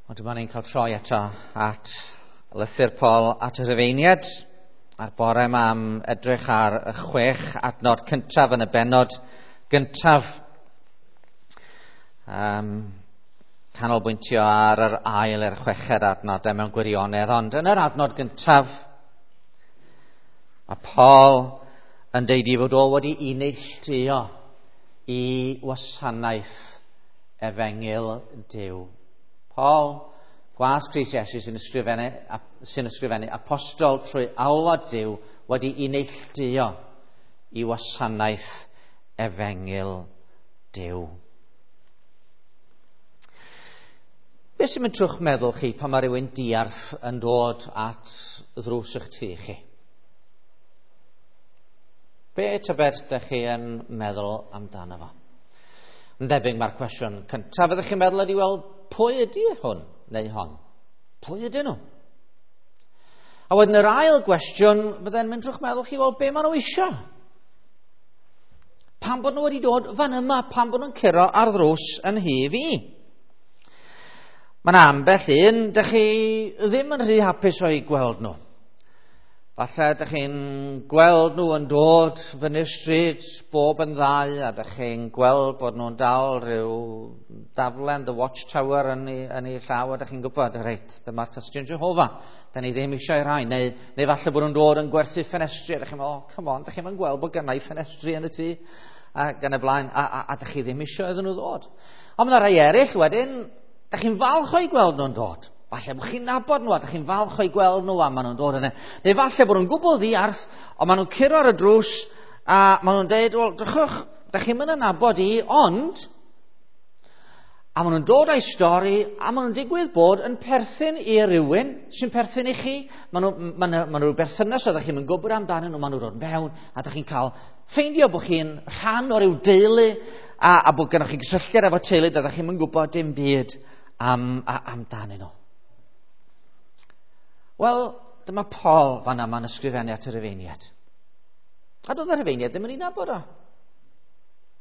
Ond dyma ni'n cael troi eto at lythyr Paul at y Rhufeiniaid a'r bore yma am edrych ar y 6 adnod cyntaf yn y bennod gyntaf. Canolbwyntio ar yr ail i'r chweched adnodau mewn gwirionedd, ond yn yr adnod gyntaf mae Paul yn deud i fod o wedi ei neilltuo i wasanaeth efengyl Duw. Paul, gwas Crist Iesu sy'n ysgrifennu apostol trwy alwad Duw wedi ei neilltuo i wasanaeth efengyl Duw. Beth sy'n mynd trwy'ch meddwl chi pan mae rhywun diarth yn dod at ddrws eich tŷ chi? Be tybed ydych chi yn meddwl amdano fo? Yn debyg mae'r cwestiwn cyntaf ydych chi'n meddwl ydy, wel, pwy ydy hwn neu hon? Pwy ydyn nhw? A wedyn yr ail gwestiwn fydde'n mynd trwy'ch meddwl chi, wel, be maen nhw eisiau? Pam bod nhw wedi dod fan yma? Pam bod nhw'n curo ar ddrws yn nhŷ fi? Mae yna ambell un, dych chi ddim yn rhy hapus o'i gweld nhw. Falle dych chi'n gweld nhw yn dod fyny'r stryd bob yn ddau, a dych chi'n gweld bod nhw'n dal rhyw daflen The Watchtower yn ei llaw, a dych chi'n gwybod, reit, dyma'r Tystion Jehofa, da ni ddim eisiau rhai. Neu falle bod nhw'n dod yn gwerthu ffenestri, a dych chi'n meddwl, oh, come on, dych chi'n gweld bod gennau ffenestri yn y tŷ, ac yn y blaen, a dych chi ddim eisiau iddyn nhw ddod. Ond mae yna rai eraill wedyn, dych chi'n falch o'i gweld nhw'n dod. Falle bod chi'n nabod nhw a dych chi'n falch o'i gweld nhw a maen nhw'n dod yna. Neu falle bod nhw'n gwbl ddiarth, ond maen nhw'n curo ar y drws a maen nhw'n deud, wel, drychwch, dych chi'n mynd yn nabod i, ond... A maen nhw'n dod â'i stori a maen nhw'n digwydd bod yn perthyn i rywun sy'n perthyn i chi. Maen nhw berthynas a dych chi'n mynd gwybod amdanyn nhw, maen nhw'n dod mewn a dych chi'n cael ffeindio bod chi'n rhan o ryw deulu a bod gennych chi gysylltiad efo teulu a dych chi'n mynd gwybod dim byd amdanyn nhw. Wel, dyma Paul fan yma'n ysgrifennu at y Rhufeiniaid. A doedd y Rhufeiniaid ddim yn ei nabod o.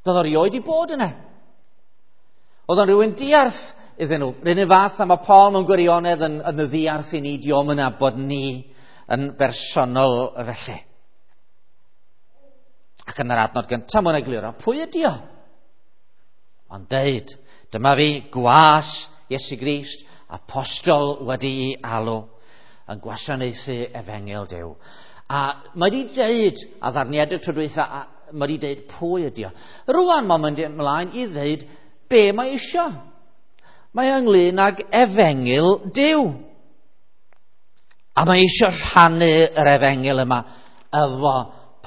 Doedd o rioed i bod yna. Oedd o'n rhywun diarth iddyn nhw. R'un un fath a mae Paul mewn gwirionedd yn y ddiarth i ni, dio'm yn nabod ni yn bersonol felly. Ac yn yr adnod gyntaf mae'n egluro, pwy ydi o? Ond deud, dyma fi, gwas Iesu Grist, apostol wedi'i alw yn gwasanaethu efengyl Duw. A mae wedi deud, a ddarniedig tro dwytha, a mae wedi deud pwy ydi o. Rwan mae'n mynd ymlaen i ddeud be mae isio. Mae ynglyn ag efengyl Duw. A mae isio rhannu yr efengyl yma efo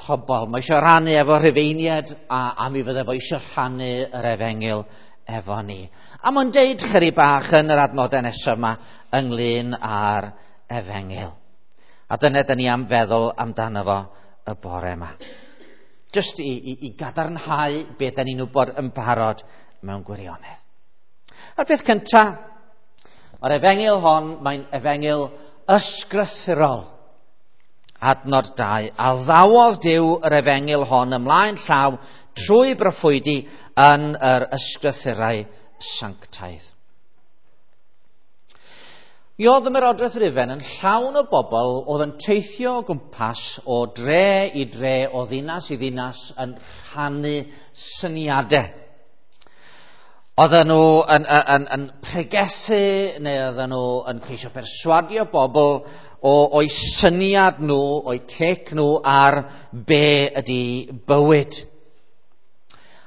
pobl. Mae isio rhannu efo Rhufeiniaid a mi fydde fo isio rhannu yr efengyl efo ni. A mae'n deud chydig bach yn yr adnodau nesaf yma ynglyn â'r efengyl. A dyna dyn ni am feddwl amdano fo y bore yma. Just i gadarnhau be dyn ni'n wybod yn barod mewn gwirionedd. A'r peth cyntaf, mae'r efengyl hon, mae'n efengyl ysgrythurol. Adnod 2, a ddawodd Duw yr efengyl hon ymlaen llaw trwy broffwydi yn yr ysgrythurau sanctaidd. Mi oedd ymerodraeth Rufain yn llawn o bobl oedd yn teithio o gwmpas o dre i dre, o ddinas i ddinas, yn rhannu syniadau. Oedden nhw yn pregethu, neu oedden nhw yn ceisio perswadio bobl o'u syniad nhw, o'u tec nhw ar be ydy bywyd.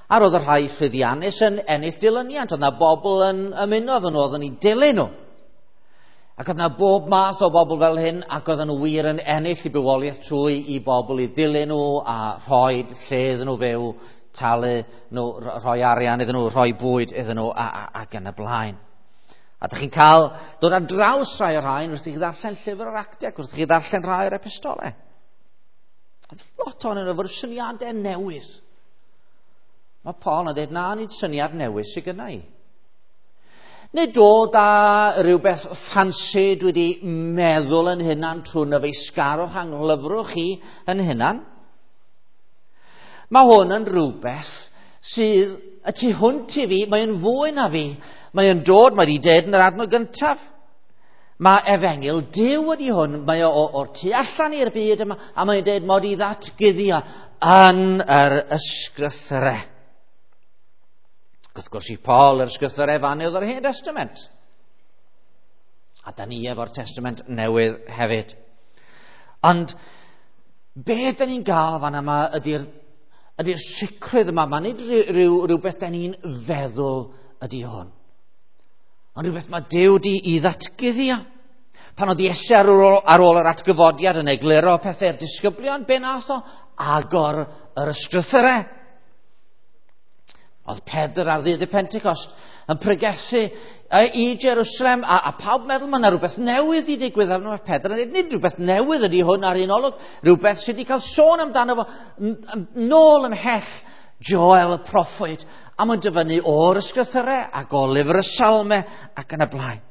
A roedd y rhai llwyddiannus yn ennill dilyniant, oedd yna bobl yn ymuno efo nhw, oedden nhw'n dilyn nhw. Ac oedd yna bob math o bobl fel hyn, ac oedden nhw wir yn ennill i bywoliaeth trwy i bobl i dilyn nhw a rhoi lle iddyn nhw fyw, talu nhw, rhoi arian iddyn nhw, rhoi bwyd iddyn nhw, ac yn y blaen. A dych chi'n cael dod ar draws rhai o'r rhain wrth i chi ddarllen llyfr yr Actiau, wrth i chi ddarllen rhai o'r epistolau. Oedd lot ohonyn nhw efo'r syniadau newydd. Mae Paul yn dweud, na, nid syniad newydd sydd gynna i. Neu dod â rhywbeth ffansi dwi wedi meddwl yn hunan trwy nyfeisgarwch anglyfrwch chi yn hunan. Mae hwn yn rhywbeth sydd y tu hwnt i fi, mae'n fwy na fi. Mae yn dod, mae wedi dweud yn yr adnod gyntaf. Mae efengyl Duw ydi hwn, mae o o'r tu allan i'r byd yma, a mae'n dweud mod i ddatguddio yn yr ysgrythyrau. Wrth gwrs i Paul, yr ysgrythyrau fan oedd yr Hen Testament. A da ni efo'r Testament Newydd hefyd. Ond be da ni'n gael fan yma ydy'r ydy sicrwydd yma. Mae nid rhywbeth da ni'n feddwl ydy hwn. Ond rhywbeth mae Duw di i ddatguddio. Pan oedd Iesu ar ôl yr atgyfodiad yn egluro pethau'r disgyblion, be nath o? Agor yr ysgrythyrau. Oedd Pedr ar ddydd y Pentecost yn pregethu i Jerusalem, a pawb meddwl mae yna rhywbeth newydd i ddigwydd arno. Mae Pedr yn dweud, nid rhywbeth newydd ydy hwn ar un olwg, rhywbeth sydd wedi cael sôn amdano fo nôl ymhell Joel y proffwyd, a mae'n dyfynnu o'r ysgrythyrau ac o lyfr y Salmau ac yn y blaen.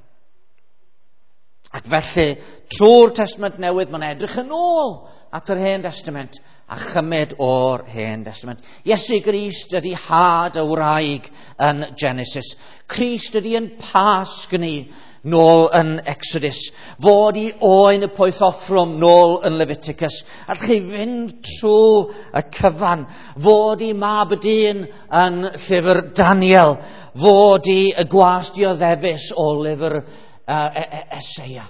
Ac felly, trwy'r Testament Newydd, mae'n edrych yn ôl at yr Hen Testament a chymryd o'r Hen Testament. Iesu Grist ydy had y wraig yn Genesis. Crist ydy yn Pasg ni nôl yn Exodus. Fod i oen y poeth offrwm nôl yn Leviticus. Allwch chi fynd trwy y cyfan. Fod i mab y dyn yn llyfr Daniel. Fod i y gwas dioddefus o lyfr Eseia.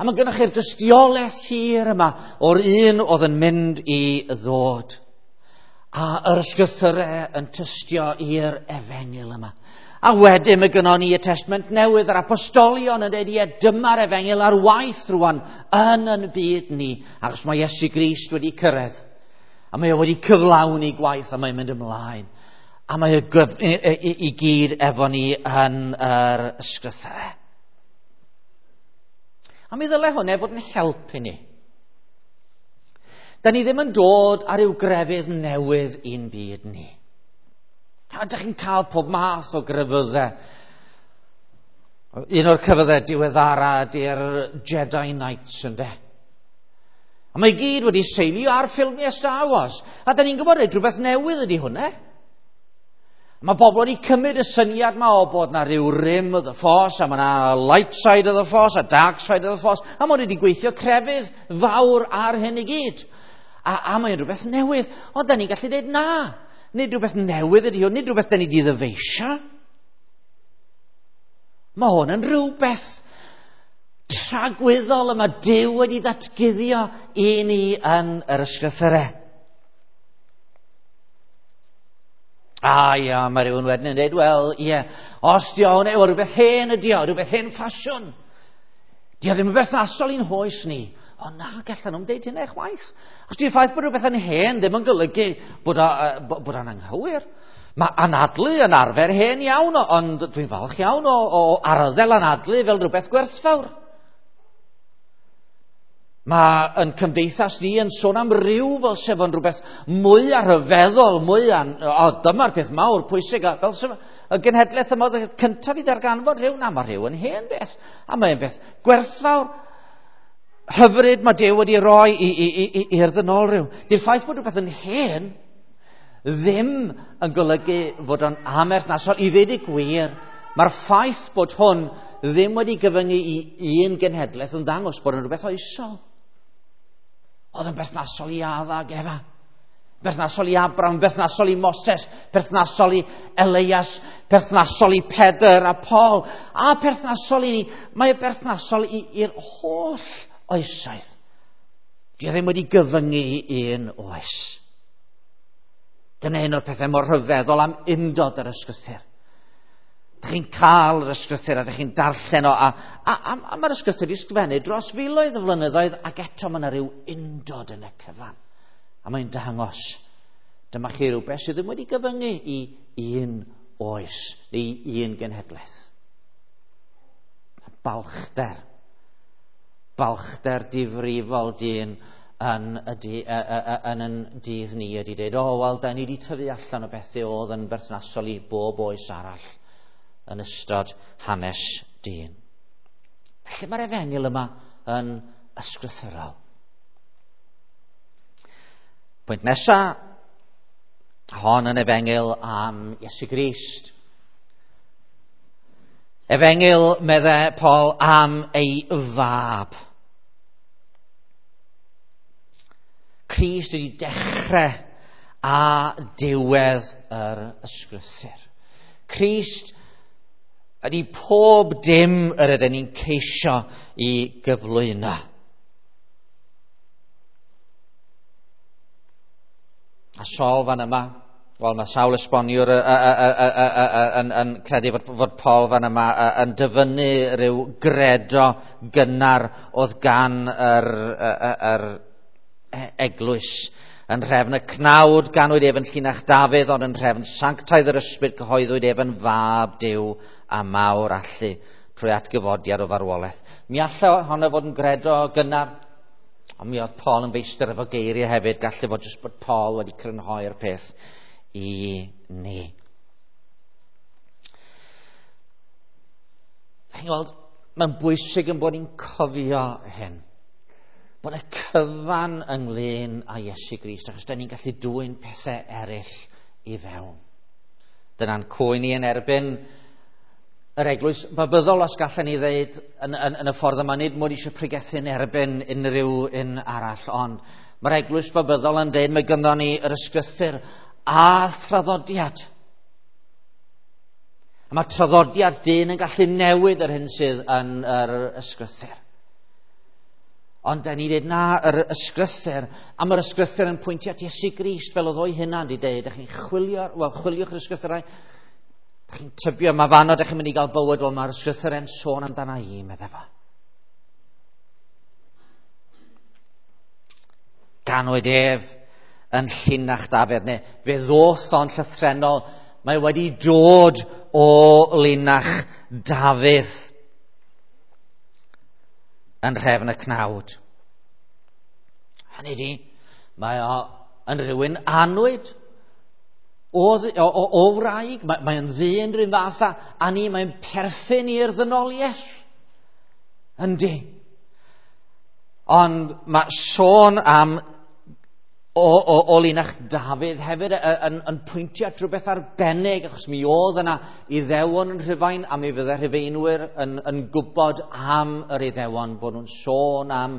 A mae gennych chi'r dystiolaeth hir yma o'r un oedd yn mynd i ddod. A yr ysgrythyrau yn tystio i'r efengyl yma. A wedyn mae gynnon ni y Testament Newydd, yr apostolion yn dweud, ie, dyma'r efengyl ar waith rwan yn yn byd ni, achos mae Iesu Grist wedi cyrraedd. A mae o wedi cyflawni gwaith a mae'n mynd ymlaen. A mae o i gyd efo ni yn yr ysgrythyrau. A mi ddyle hwnna fod yn help i ni. Da ni ddim yn dod ar ryw grefydd newydd i'n byd ni. A ydych chi'n cael pob math o grefyddau. Un o'r crefyddau diweddara ydy'r Jedi Knights, ynde? A mae gyd wedi seilio ar ffilmiau Star Wars. A da ni'n gwybod rhywbeth newydd ydy hwnna. Mae bobl wedi cymryd y syniad yma o bod na rhyw rim of the force, a mae na light side of the force, a dark side of the force, a mae wedi gweithio crefydd fawr ar hyn i gyd. A mae'n rhywbeth newydd. Ond da ni'n gallu dweud na. Nid rhywbeth newydd ydy hwn, nid rhywbeth da ni wedi ddyfeisio. Mae hwn yn rhywbeth tragwyddol y mae Duw wedi ddatguddio i ni yn yr ysgrythyrau. A ia, mae rhywun wedyn yn dweud, wel, ie, os di o hwnna, rhywbeth hen ydi o, rhywbeth hen ffasiwn. Di o ddim yn berthnasol i'n hoes ni. O na, gallan nhw'n deud hynna chwaith. Os di'r ffaith bod rhywbeth yn hen ddim yn golygu bod o'n anghywir. Mae anadlu yn arfer hen iawn, ond dwi'n falch iawn o arddel anadlu fel rhywbeth gwerthfawr. Mae yn cymdeithas ni yn sôn am ryw fel sef yn rhywbeth mwy rhyfeddol, mwy dyma'r peth mawr pwysig, fel sef y genhedlaeth yma oedd y cyntaf i ddarganfod rhyw, na, mae rhyw yn hen beth, a mae'n beth gwerthfawr, hyfryd mae Duw wedi roi i'r ddynol rhyw. Di'r ffaith bod rhywbeth yn hen ddim yn golygu fod o'n amherthnasol. I ddweud y gwir, mae'r ffaith bod hwn ddim wedi gyfyngu i un genhedlaeth yn ddangos bod yn rhywbeth oesol. Oedd yn berthnasol i Adda ac Efa, berthnasol i Abraham, berthnasol i Moses, berthnasol i Elias, berthnasol i Pedr a Paul, a perthnasol i ni. Mae berthnasol i'r holl oesoedd. Di o ddim wedi gyfyngu i un oes. Dyna un o'r pethau mor rhyfeddol am undod yr ysgrythur. Dych chi'n cael yr ysgrythur a dych chi'n darllen o, a mae'r ysgrythur i sgrifennu dros filoedd o flynyddoedd, ac eto mae yna rhyw undod yn y cyfan. A mae'n dangos, dyma chi rhywbeth sydd ddim wedi gyfyngu i un oes, neu un genhedlaeth. Balchder. Balchder difrifol dyn yn yn dydd ni ydy dweud, o, wel, da ni wedi tyfu allan o bethau oedd yn berthnasol i bob oes arall yn ystod hanes dyn. Felly mae'r efengyl yma yn ysgrythurol. Pwynt nesaf, hon yn efengyl am Iesu Grist. Efengyl, medde Paul, am ei fab. Crist ydi dechrau a diwedd yr ysgrythur. Crist ydi pob dim yr ydyn ni'n ceisio i gyflwyno. A Saul fan yma, wel, mae sawl esboniwr yn credu fod Paul fan yma yn dyfynnu rhyw gredo gynnar oedd gan yr eglwys. Yn nhrefn y cnawd ganwyd ef yn llinach Dafydd, ond yn nhrefn sanctaidd yr ysbryd cyhoeddwyd ef yn fab Duw a mawr allu trwy atgyfodiad o farwolaeth. Mi allai honno fod yn gredo gynnar, ond mi oedd Paul yn feistr efo geiriau hefyd. Gallu fod jyst bod Paul wedi crynhoi'r peth i ni. Chi'n gweld, mae'n bwysig yn bod ni'n cofio hyn. Bod y cyfan ynglyn â Iesu Grist, achos da ni'n gallu dwyn pethau eraill i fewn. Dyna'n cwyn ni yn erbyn yr eglwys babyddol, os gallen ni ddeud yn y ffordd yma, nid mod eisiau pregethu yn erbyn unrhyw un arall, ond mae'r eglwys babyddol yn deud mae gynddon ni yr ysgrythur a thraddodiad. A mae traddodiad dyn yn gallu newid yr hyn sydd yn yr ysgrythur. Ond da ni dweud na, yr ysgrythur, a mae'r ysgrythur yn pwyntio at Iesu Grist fel oedd o'i hunan wedi dweud. Dych chi'n chwilio, wel, chwiliwch yr ysgrythurau, dych chi'n tybio, mae fanno dych chi'n mynd i gael bywyd, wel, mae'r ysgrythur yn sôn amdana i, medde fo. Ganwyd ef yn llinach Dafydd, neu fe ddoth o'n llythrennol, mae wedi dod o linach Dafydd yn nhrefn y cnawd. Hynny ydi, mae o yn rhywun annwyd o wraig, mae'n ddyn rhywun fath a ni, mae'n perthyn i'r ddynoliaeth. Yndi. Ond mae sôn am o linach Dafydd hefyd yn pwyntio at rhywbeth arbennig, achos mi oedd yna Iddewon yn Rhufain, a mi fydde Rhufeinwyr yn gwybod am yr Iddewon, bod nhw'n sôn am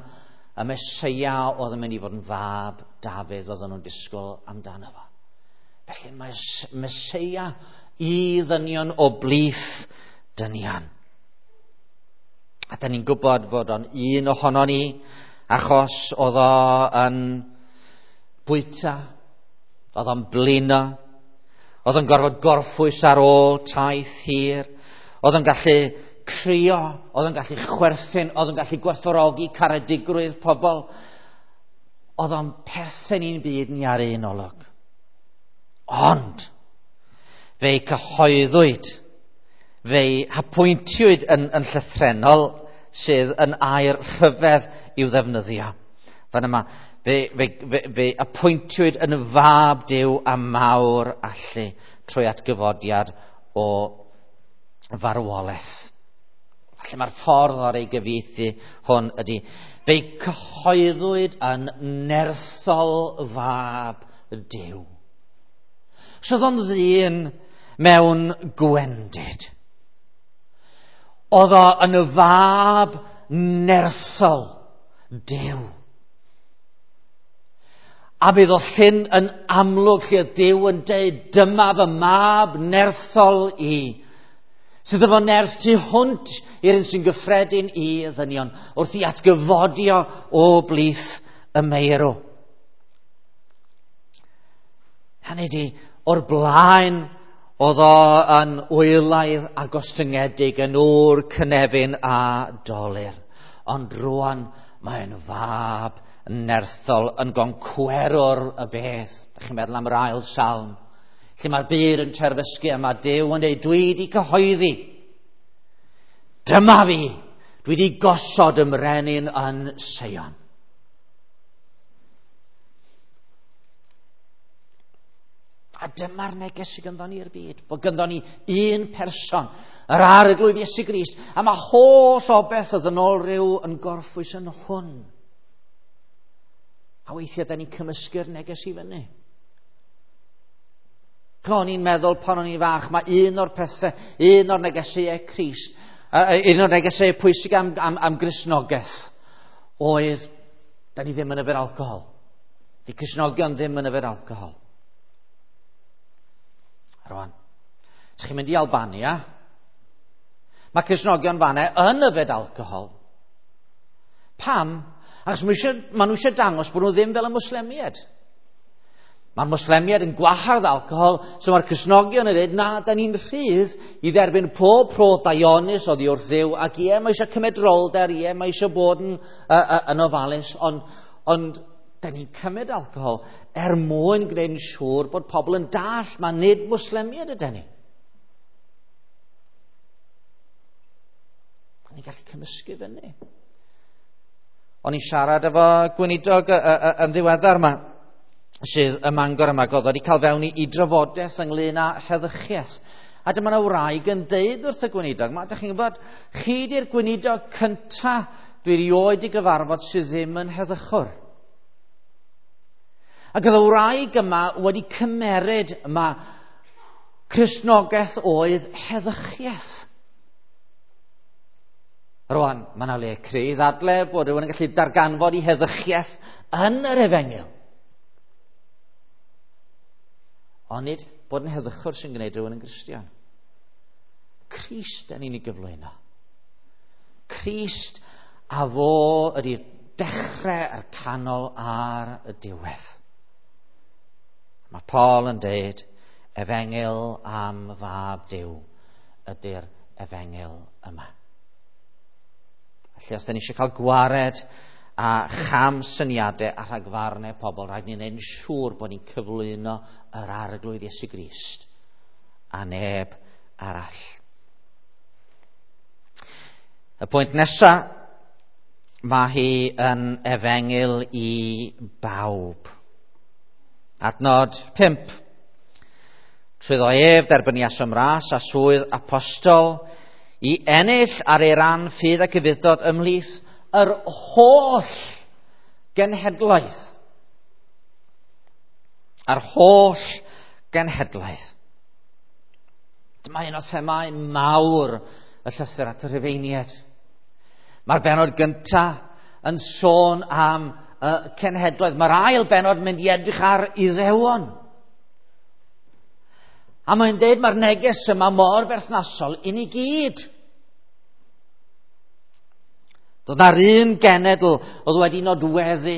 y Meseia oedd yn mynd i fod yn fab Dafydd, oedden nhw'n disgwyl amdano fo. Felly mae Meseia i ddynion o blith dynion. A da ni'n gwybod fod o'n un ohono ni, achos oedd o yn bwyta, oedd o'n blino, oedd o'n gorfod gorffwys ar ôl taith hir, oedd o'n gallu crio, oedd o'n gallu chwerthin, oedd o'n gallu gwerthfawrogi caredigrwydd pobl. Oedd o'n perthyn i'n byd ni ar un olwg. Ond fe'i cyhoeddwyd, fe'i hapwyntiwyd yn llythrennol, sydd yn air rhyfedd i'w ddefnyddio. Fan yma, fe apwyntiwyd yn fab Duw a mawr allu trwy atgyfodiad o farwolaeth. Felly mae'r ffordd o'r ei gyfieithu hwn ydy, fe'i cyhoeddwyd yn nerthol fab Duw. So oedd o'n ddyn mewn gwendid. Oedd o yn y fab nerthol Duw. A bydd o llyn yn amlwg lle Duw yn deud, dyma fy mab nerthol i, sydd efo nerth tu hwnt i'r un sy'n gyffredin i ddynion, wrth i atgyfodio o blith y meirw. Hynny ydi, o'r blaen oedd o yn wylaidd a gostyngedig, yn ŵr cynefin a dolur. Ond rwan mae'n fab nerthol, yn goncwerwr y beth. Dach chi'n meddwl am yr ail salm, lle mae'r byd yn terfysgu a mae Duw yn dweud, dwi wedi cyhoeddi. Dyma fi, dwi wedi gosod ymrenin yn Seion. A dyma'r neges sydd gynddon ni i'r byd, bod gynddon ni un person, yr Arglwydd Iesu Grist, a mae holl o beth oedd yn ôl rhyw yn gorffwys yn hwn. A weithiau da ni'n cymysgu'r neges i fyny. O'n i'n meddwl pan o'n i'n fach, mae un o'r pethau, un o'r negeseuau Crist, un o'r negeseuau pwysig am Gristnogaeth oedd, da ni ddim yn yfed alcohol. Di Cristnogion ddim yn yfed alcohol. Rwan, ydych chi'n mynd i Albania, mae Cristnogion fanna yn yfed alcohol. Pam? Achos maen nhw eisiau dangos bod nhw ddim fel y Mwslemiaid. Mae'r Mwslemiaid yn gwahardd alcohol, so mae'r Cristnogion yn dweud, na, da ni'n rhydd i dderbyn pob rhodd daionus oddi wrth Dduw, ac ie, mae eisiau cymedrolder, ie, mae eisiau bod yn ofalus, ond da ni'n cymryd alcohol er mwyn gwneud yn siŵr bod pobl yn dall, mae nid Mwslemiaid ydyn ni. Ni'n gallu cymysgu fyny. O'n i'n siarad efo gweinidog yn ddiweddar yma, sydd ym Mangor yma, oedd wedi cael fewn i drafodaeth ynglyn â heddychiaeth. A dyma yna wraig yn deud wrth y gweinidog, ma, dych chi'n gwybod, chi di'r gweinidog cynta dwi erioed i gyfarfod sydd ddim yn heddychwr. Ac oedd y wraig yma wedi cymeryd yma Cristnogaeth oedd heddychiaeth. Rwan, mae yna le cry i ddadle bod rhywun yn gallu darganfod i heddychiaeth yn yr efengyl. Ond nid bod yn heddychwr sy'n gwneud rhywun yn Gristion. Crist yn ni'n ei gyflwyno. Crist a fo ydy'r dechrau, a'r canol a'r y diwedd. Mae Paul yn deud, efengyl am fab Duw ydy'r efengyl yma. Felly os da ni eisiau cael gwared a cham syniadau a rhagfarnau pobl, rhaid ni'n gwneud yn siŵr bod ni'n cyflwyno yr Arglwydd Iesu Grist a neb arall. Y pwynt nesaf, mae hi yn efengyl i bawb. Adnod 5. Trwyddo ef derbyniasom ras a swydd apostol i ennill ar ei ran ffydd ac ufudd-dod ymhlith yr holl genhedlaeth. Yr holl genhedlaeth. Dyma un o themâu mawr y llythyr at y Rhufeiniaid. Mae'r bennod gyntaf yn sôn am y cenhedloedd. Mae'r ail bennod yn mynd i edrych ar Iddewon. A mae'n deud mae'r neges yma mor berthnasol i ni gyd. Doedd na'r un genedl oedd wedi nodweddu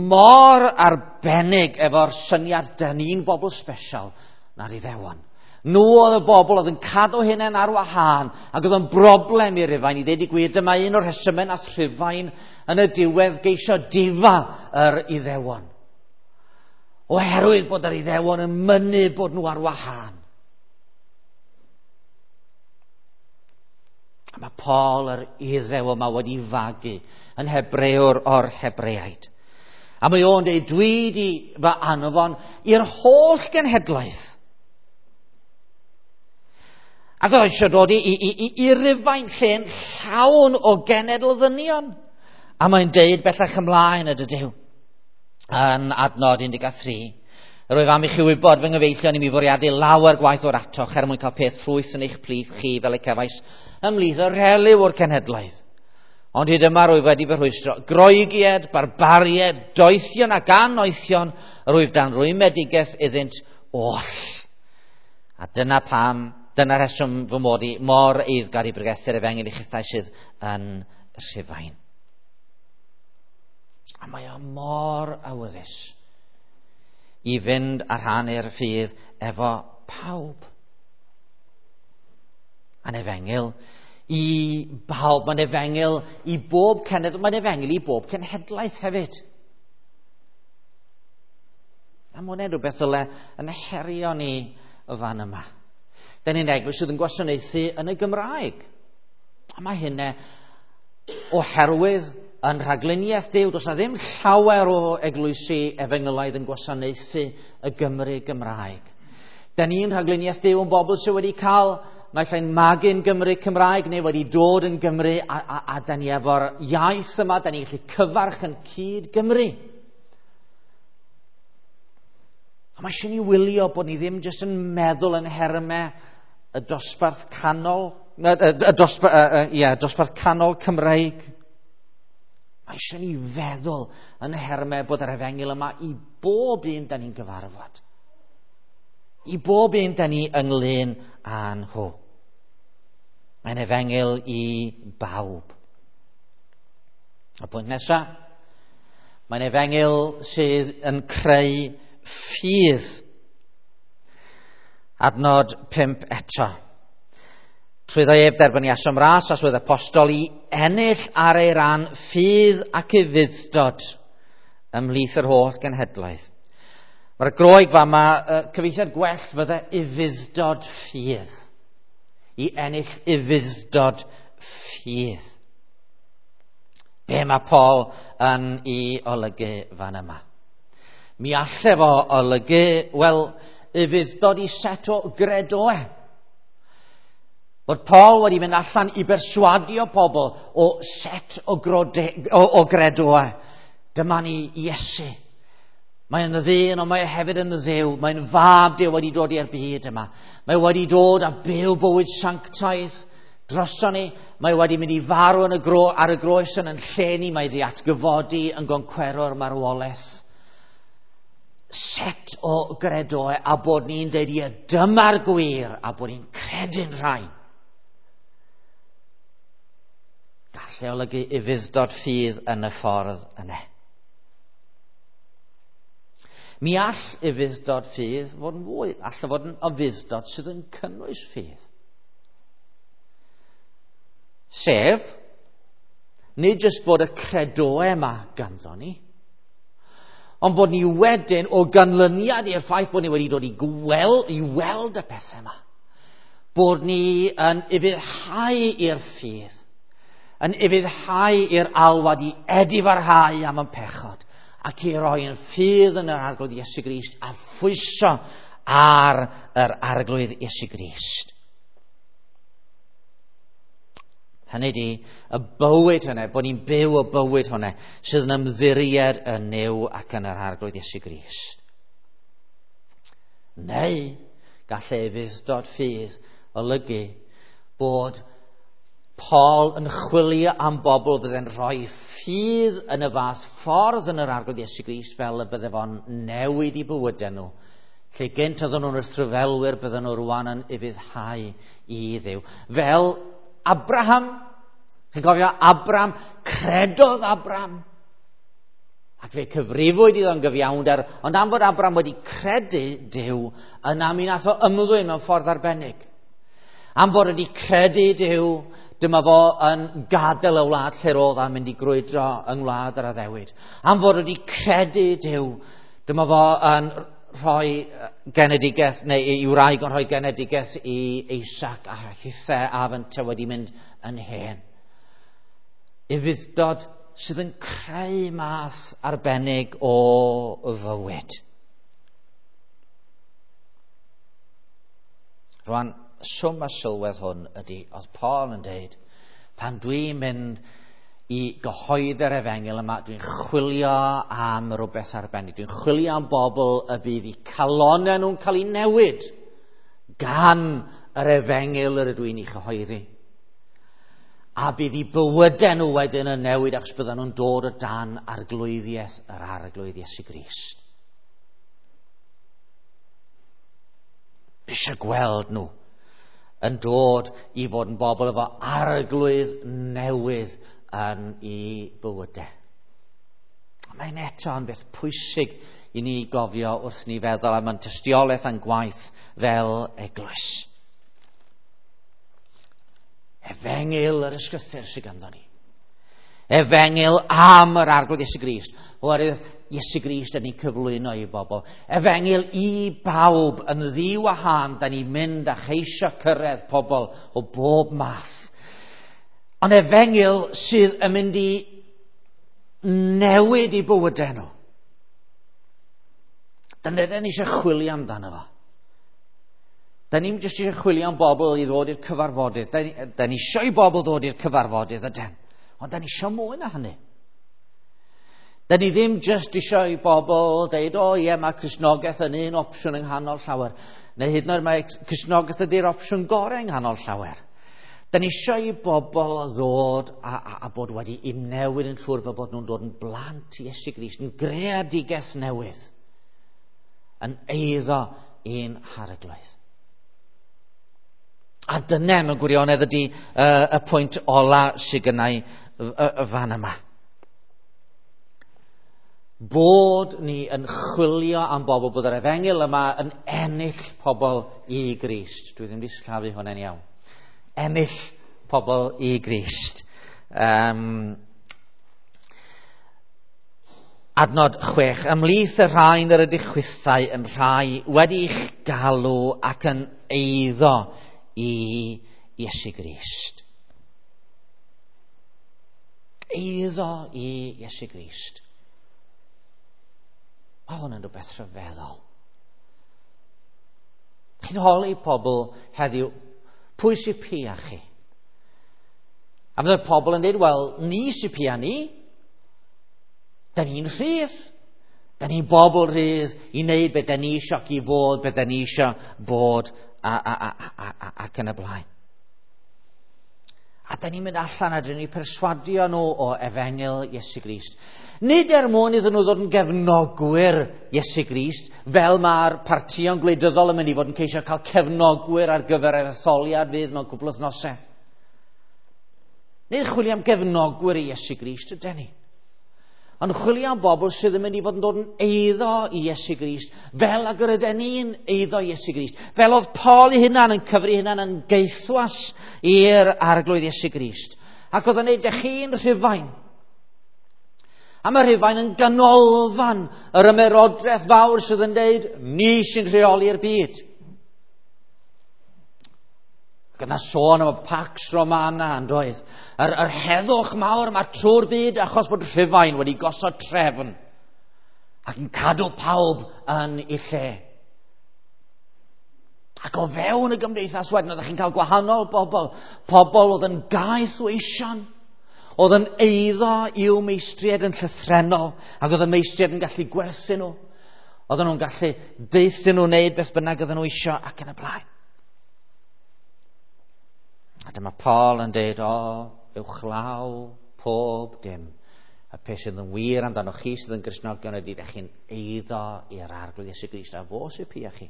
mor arbennig efo'r syniad dyn ni'n bobl special na'r Iddewon. Nhw oedd y bobl oedd yn cadw hunain ar wahân ac oedd yn broblem i Rufain. I ddeud i gwir, dyma un o'r rhesymau nath Rhufain yn y diwedd geisio difa yr Iddewon. Oherwydd bod yr Iddewon yn mynnu bod nhw ar wahân. A mae Paul yr Iddew yma wedi fagu yn Hebrewr o'r Hebreaid. A mae o'n dweud, dwi di fy anfon i'r holl genhedlaeth. Ac oedd eisiau dod i Rufain lle'n llawn o genedl ddynion. A mae'n deud bellach ymlaen y dydyw yn adnod 13. Rwyf am i chi wybod fy nghyfeillion i mi fwriadu lawer gwaith o'r atoch er mwyn cael peth ffrwyth yn eich plith chi fel y cefais ymhlith y rhelyw o'r cenhedlaeth. Ond hyd yma rwyf wedi fy rhwystro. Groegied, barbaried, doethion ac anoethion, rwyf dan rwymedigaeth iddynt oll. A dyna pam, dyna rheswm fy mod i mor eiddgar i bregethu'r efengyl i chithau sydd yn Rhufain. A mae o mor awyddus i fynd a rhannu'r ffydd efo pawb. Mae'n efengyl i bawb, mae'n efengyl i bob cenedl, mae'n efengyl i bob cenhedlaeth hefyd. A mae hwnna'n rhywbeth ddyle yn herio ni y fan yma. Da ni'n eglwys sydd yn gwasanaethu yn y Gymraeg. A mae hynna oherwydd yn rhagluniaeth Duw, does na ddim llawer o eglwysi efengylaidd yn gwasanaethu y Gymru Gymraeg. Da ni'n rhagluniaeth Duw yn bobl sydd wedi cael naill ai'n magu'n Gymru Cymraeg neu wedi dod yn Gymru a da ni efo'r iaith yma, da ni'n gallu cyfarch yn cyd Gymru. A mae eisiau ni wylio bod ni ddim jyst yn meddwl yn nhermau y dosbarth canol, dosbarth canol Cymreig. Mae eisiau ni feddwl yn nhermau bod yr efengyl yma i bob un da ni'n gyfarfod. I bob un da ni ynglyn â nhw. Mae'n efengyl i bawb. Y pwynt nesaf, mae'n efengyl sydd yn creu ffydd. Adnod 5 eto. Trwyddo ef derbyniasom ras a swydd apostol i ennill ar ei ran ffydd ac ufudd-dod ymhlith yr holl genhedloedd. Mae'r Groeg fama, cyfieithiad gwell fydde ufudd-dod ffydd. I ennill ufudd-dod ffydd. Be mae Paul yn ei olygu fan yma? Mi alle fo olygu, wel, ufudd-dod i set o gredoau. Bod Paul wedi mynd allan i berswadio pobl o set o gredoau. Dyma ni Iesu. Mae'n ddyn, ond mae hefyd yn dduw. Mae'n fab Duw wedi dod i'r byd yma. Mae wedi dod a byw bywyd sanctaidd droson ni. Mae wedi mynd i farw yn ar y groes yn lle ni. Mae wedi atgyfodi yn goncwero'r marwolaeth. Set o gredoau a bod ni'n deud ie, dyma'r gwir, a bod ni'n credu'n rhain. Gallai olygu ufudd-dod ffydd yn y ffordd yna. Mi all ufudd-dod ffydd fod yn fwy, all fod yn ufudd-dod sydd yn cynnwys ffydd. Sef, nid jyst bod y credoau yma ganddo ni, ond bod ni wedyn o ganlyniad i'r ffaith bod ni wedi dod i weld y pethau yma, bod ni yn ufuddhau i'r ffydd, yn ufuddhau i'r alwad i edifarhau am y pechod, ac i roi yn ffydd yn yr Arglwydd Iesu Grist a phwyso ar yr Arglwydd Iesu Grist. Hynny di, y bywyd hynny, bod ni'n byw y bywyd hynny, sydd yn ymddiried yn Nuw ac yn yr Arglwydd Iesu Grist. Neu, gall ufudd-dod ffydd olygu bod Paul yn chwilio am bobl bydde'n rhoi ffydd yn y fath ffordd yn yr Arglwydd Iesu Grist fel y bydde fo'n newid i bywydau nhw. Lle gynt oedden nhw'n wrthryfelwyr, bydden nhw rwan yn ufuddhau i Dduw. Fel Abraham, chi'n cofio Abraham, credodd Abraham, ac fe cyfrifwyd iddo'n gyfiawnder, ond am fod Abraham wedi credu Duw, yna mi nath o ymddwyn mewn ffordd arbennig. Am fod wedi credu Duw, dyma fo yn gadael y wlad lle roedd a'n mynd i grwydro yng ngwlad yr addewid. Am fod wedi credu Duw, dyma fo yn rhoi genedigaeth, neu i wraig yn rhoi genedigaeth i Isaac a hithe a fynte wedi mynd yn hen. Ufudd-dod sydd yn creu math arbennig o fywyd. Rwan, swm a sylwedd hwn ydy, oedd Paul yn deud, pan dwi'n mynd i gyhoeddi'r efengyl yma, dwi'n chwilio am rhywbeth arbennig. Dwi'n chwilio am bobl y bydd eu calonnau nhw'n cael eu newid gan yr efengyl yr ydw i'n ei chyhoeddi. A bydd eu bywydau nhw wedyn yn newid achos byddan nhw'n dod o dan arglwyddiaeth yr Arglwydd Iesu Grist. Fi eisiau gweld nhw yn dod i fod yn bobl efo arglwydd newydd yn ei bywydau. Mae'n eto yn beth pwysig i ni gofio wrth ni feddwl am ein tystiolaeth a'n gwaith fel eglwys. Efengyl yr ysgrythur sydd ganddo ni. Efengyl am yr Arglwydd Iesu Grist. Oherwydd Iesu Grist yn ei cyflwyno i bobl. Efengyl i bawb yn ddiwahân, da ni'n mynd a cheisio cyrraedd pobl o bob math. Ond efengyl sydd yn mynd i newid i bywydau nhw. Dyna ni eisiau chwilio amdano fo. Da ni'n jyst eisiau chwilio am bobl i ddod i'r cyfarfodydd. Da ni eisiau i bobl ddod i'r cyfarfodydd, ydyn. Ond da ni eisiau mwy na hynny. Da ni ddim jyst eisiau i bobl deud, o ie, mae Cristnogaeth yn un opsiwn yng nghanol llawer. Neu hyd yn oed mae Cristnogaeth ydy'r opsiwn gorau yng nghanol llawer. Da ni eisiau i bobl ddod a bod wedi i newid yn llwyr fel bod nhw'n dod yn blant i Iesu Grist, yn greadigaeth newydd, yn eiddo i'n harglwydd. A dyna mewn gwirionedd ydy y pwynt ola sydd gennau y fan yma. Bod ni yn chwilio am bobl, bod yr efengyl yma yn ennill pobl i Grist. Dwi ddim wedi sillafu hwnna'n iawn. Ennill pobl i Grist. Adnod 6. Ymhlith y rhain yr ydych chwithau yn rhai wedi'ch galw ac yn eiddo i Iesu Grist. Eiddo i Iesu Grist. Mae hwn yn rhywbeth rhyfeddol. Chi'n holi pobl heddiw, pwy sy'n pia chi? A fydde pobl yn dweud, wel, ni sy'n pia ni. Da ni'n rhydd. Da ni'n bobl rhydd i wneud beth da ni eisiau ac i fod beth da ni eisiau bod ac yn y blaen. A da ni'n mynd allan a dyn ni'n perswadio nhw o efengyl Iesu Grist. Nid er mwyn iddyn nhw ddod yn gefnogwyr Iesu Grist, fel mae'r partïon gwleidyddol yn mynd i fod yn ceisio cael cefnogwyr ar gyfer yr etholiad fydd mewn cwpl wythnosau. Nid chwilio am gefnogwyr i Iesu Grist ydyn ni. Ond chwilio am bobl sydd yn mynd i fod yn dod yn eiddo i Iesu Grist, fel ag yr ydyn ni'n eiddo i Iesu Grist. Fel oedd Paul ei hunan yn cyfri hunan yn gaethwas i'r arglwydd Iesu Grist. Ac oedd yn neud dych chi'n Rhufain. A mae Rhufain yn ganolfan yr ymerodraeth fawr sydd yn deud, ni sy'n rheoli'r byd. Ac yna sôn am y Pax Romana yn doedd. Yr heddwch mawr yma trwy'r byd achos bod Rhufain wedi gosod trefn ac yn cadw pawb yn ei lle. Ac o fewn y gymdeithas wedyn oeddech chi'n cael gwahanol bobl. Pobl oedd yn gaeth o eision, oedd yn eiddo i'w meistriaid yn llythrennol, ac oedd y meistriaid yn gallu gwerthu nhw. Oedden nhw'n gallu deuthyn nhw wneud beth bynnag oedden nhw isio ac yn y blaen. A dyma Paul yn dweud, o, uwchlaw pob dim. Y peth sydd yn wir amdano chi sydd yn Gristnogion ydy, ydych chi'n eiddo i'r arglwydd Iesu Grist, a fo sy'n pia chi.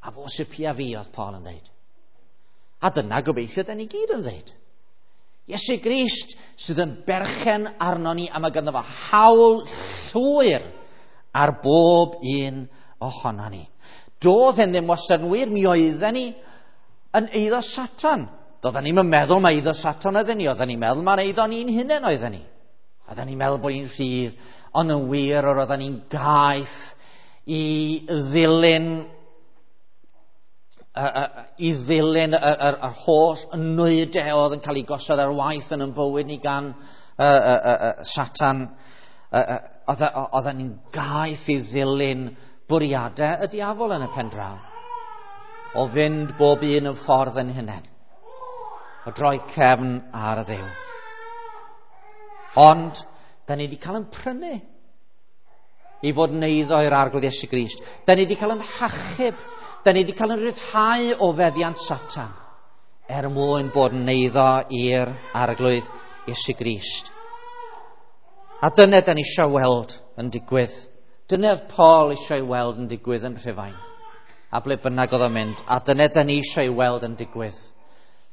A fo sy'n pia fi, oedd Paul yn dweud. A dyna gobeithio da ni gyd yn dweud. Iesu Grist sydd yn berchen arno ni, a mae ganddo fo hawl llwyr ar bob un ohono ni. Doedd hyn ddim wastad yn wir, mi oedden ni yn eiddo Satan. Doedden ni'm yn meddwl mai eiddo Satan oedden ni, oedden ni'n meddwl mai'n eiddo ni'n hunain oedden ni. Oedden ni'n meddwl bod ni'n rhydd, ond yn wir yr oedden ni'n gaeth i ddilyn yr holl nwydau oedd yn cael ei gosod ar waith yn ein bywyd ni gan Satan. Oedden ni'n gaeth i ddilyn bwriadau y diafol yn y pen draw. O fynd bob un yn ffordd yn hunain. O droi cefn ar y Dduw. Ond, da ni wedi cael yn prynu i fod yn eiddo i'r arglwydd Iesu Grist. Da ni wedi cael yn hachub. Da ni wedi cael yn rhyddhau o feddiant Satan er mwyn bod yn eiddo i'r arglwydd Iesu Grist. A dyna da ni eisiau weld yn digwydd. Dyna oedd Paul eisiau weld yn digwydd yn Rhufain. A ble bynnag oedd o'n mynd. A dyna da ni eisiau weld yn digwydd.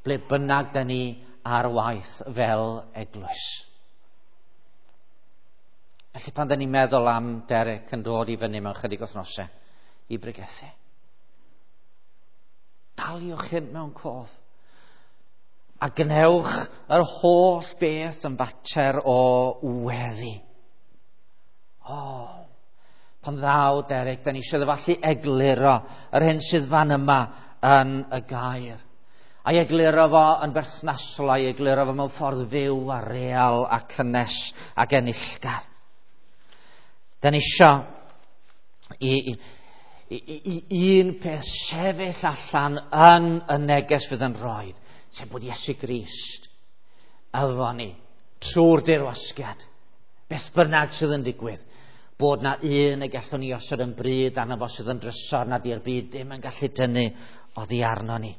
Ble bynnag da ni ar waith fel eglwys. Felly pan da ni'n meddwl am Derek yn dod i fyny mewn chydig wythnosau i bregethu, daliwch hyn mewn cof. A gwnewch yr holl beth yn fater o weddi. O, pan ddaw Derek, da ni eisiau ddyfallu egluro yr hyn sydd fan yma yn y gair. A'i egluro fo yn berthnasol, a'i egluro fo mewn ffordd fyw a real a cynnes ac enillgar. Da ni eisiau i un peth sefyll allan yn y neges fydd yn rhoi, sef bod Iesu Grist efo ni trwy'r dirwasgiad Beth bynnag sydd yn digwydd, bod na un y gallwn ni osod yn bryd arno fo sydd yn drysor nad i'r byd ddim yn gallu dynnu oddi arno ni.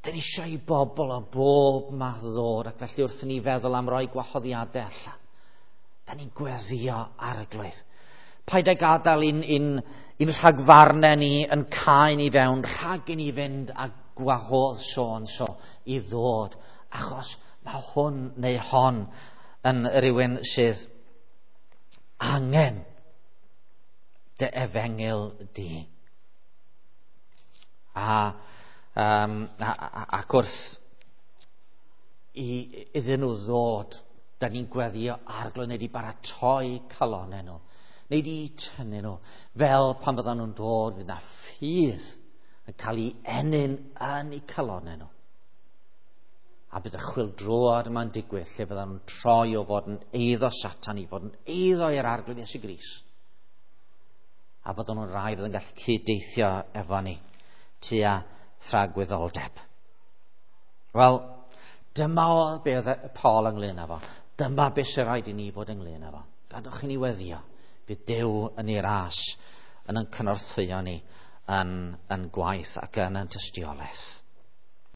Dyn ni eisiau i bobl o bob math ddod, ac felly wrth i ni feddwl am roi gwahoddiadau allan, da ni'n gweddio Arglwydd. Paid â gadael un rhagfarnau ni yn cau ni fewn, rhag i ni fynd a gwahodd so and so i ddod, achos mae hwn neu hon yn rhywun sydd angen dy efengyl di. Ac wrth iddyn nhw ddod, da ni'n gweddio Arglwydd, neu di baratoi calonau nhw, neu di tynnu nhw, fel pan fyddan nhw'n dod, fydd na ffydd yn cael ei ennyn yn eu calonau nhw. A bydd y chwyldroad yma'n digwydd lle fyddan nhw'n troi o fod yn eiddo Satan i fod yn eiddo i'r Arglwydd Iesu Grist. A byddan nhw'n rai fydd yn gallu cyd-deithio efo ni tua thragwyddoldeb. Wel, dyma oedd be oedd Paul ynglyn â fo. Dyma beth sy'n rhaid i ni fod ynglyn â fo. Gadwch i ni weddio. Bydd Duw yn ei ras yn cynorthwyo ni yn gwaith ac yn tystiolaeth.